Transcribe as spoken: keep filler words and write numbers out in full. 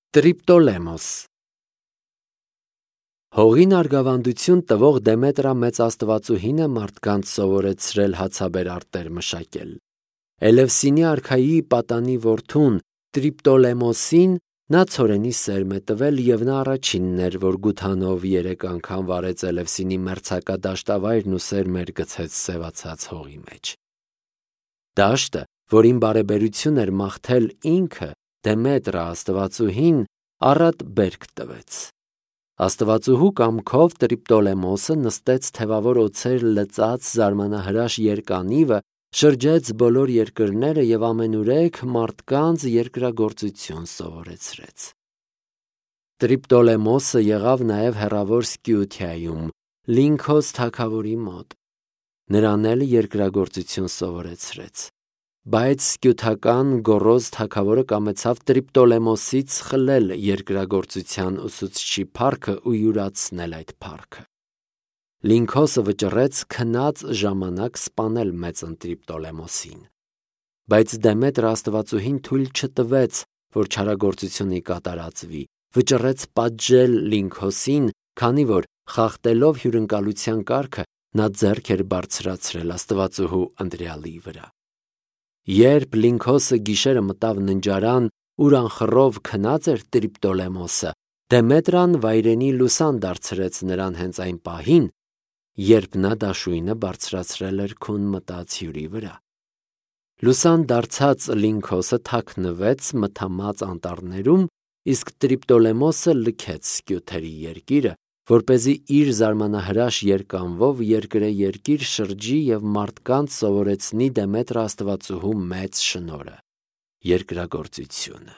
Տրիպտոլեմոս Հողին արգավանդություն տվող Դեմետրա մեծ աստվածուհին է մարդկանց սովորեցրել հացաբեր արտեր մշակել։ Էլևսինի արքայի պատանի որդուն Տրիպտոլեմոսին նա ցորենի սերմ է տվել, և նա առաջինն էր, որ գութանով երեք անգամ վարեց Էլևսինի մերձակա դաշտավայրն ու սերմեր գցեց սևացած հողի մեջ։ Դաշտը, որին բարեբերություն էր մաղթել ինքը, Դեմետրա աստվածուհին, առատ բերք տվեց։ Աստվածուհու կամքով Տրիպտոլեմոսը նստեց թևավոր օձեր լծած զարմանահրաշ երկանիվը, շրջեց բոլոր երկրները և ամենուրեք մարդկանց երկրագործություն սովորեցրեց։ Տրիպտոլեմոսը եղավ նաև հեռավոր Սկիութիայում, Լինքոս թագավորի մոտ։ Նրան էլ երկրագործություն սովորեցրեց։ Բայց սկյութական Գոռոզ թագավորը կամեցավ Տրիպտոլեմոսից խլել երկրագործության ուսուցչի փառքը ու յուրացնել այդ փառքը։ Լինքոսը վճռեց քնած ժամանակ սպանել մեծն Տրիպտոլեմոսին։ Բայց Դեմետրա աստվածուհին թույլ չտվեց, որ չարագործությունը կատարածվի, վճռեց պատժել Լինքոսին, քանի որ, խախտելով հյուրընկալության կարգը, նա ձեռք էր բարձրացրել աստվածուհու ընտրյալի վրա։ Երբ Լինքոսը գիշերը մտավ ննջարան, ուր անխռով քնած էր Տրիպտոլեմոսը, Դեմետրան վայրենի լուսան դարձրեց նրան հենց այն պահին, երբ նա դաշույնը բարձրացրել էր քուն մտած հյուրի վրա։ Լուսան դարձած Լինքոսը թաքնվեց մթամած անտառներում, իսկ Տրիպտոլեմոսը լքեց Սկյութերի երկիրը, որպեսզի իր զարմանահրաշ երկանվով երկրեերկիր շրջի և մարդկանց սովորեցնի Դեմետրա աստվածուհու մեծ շնորհը՝ երկրագործությունը։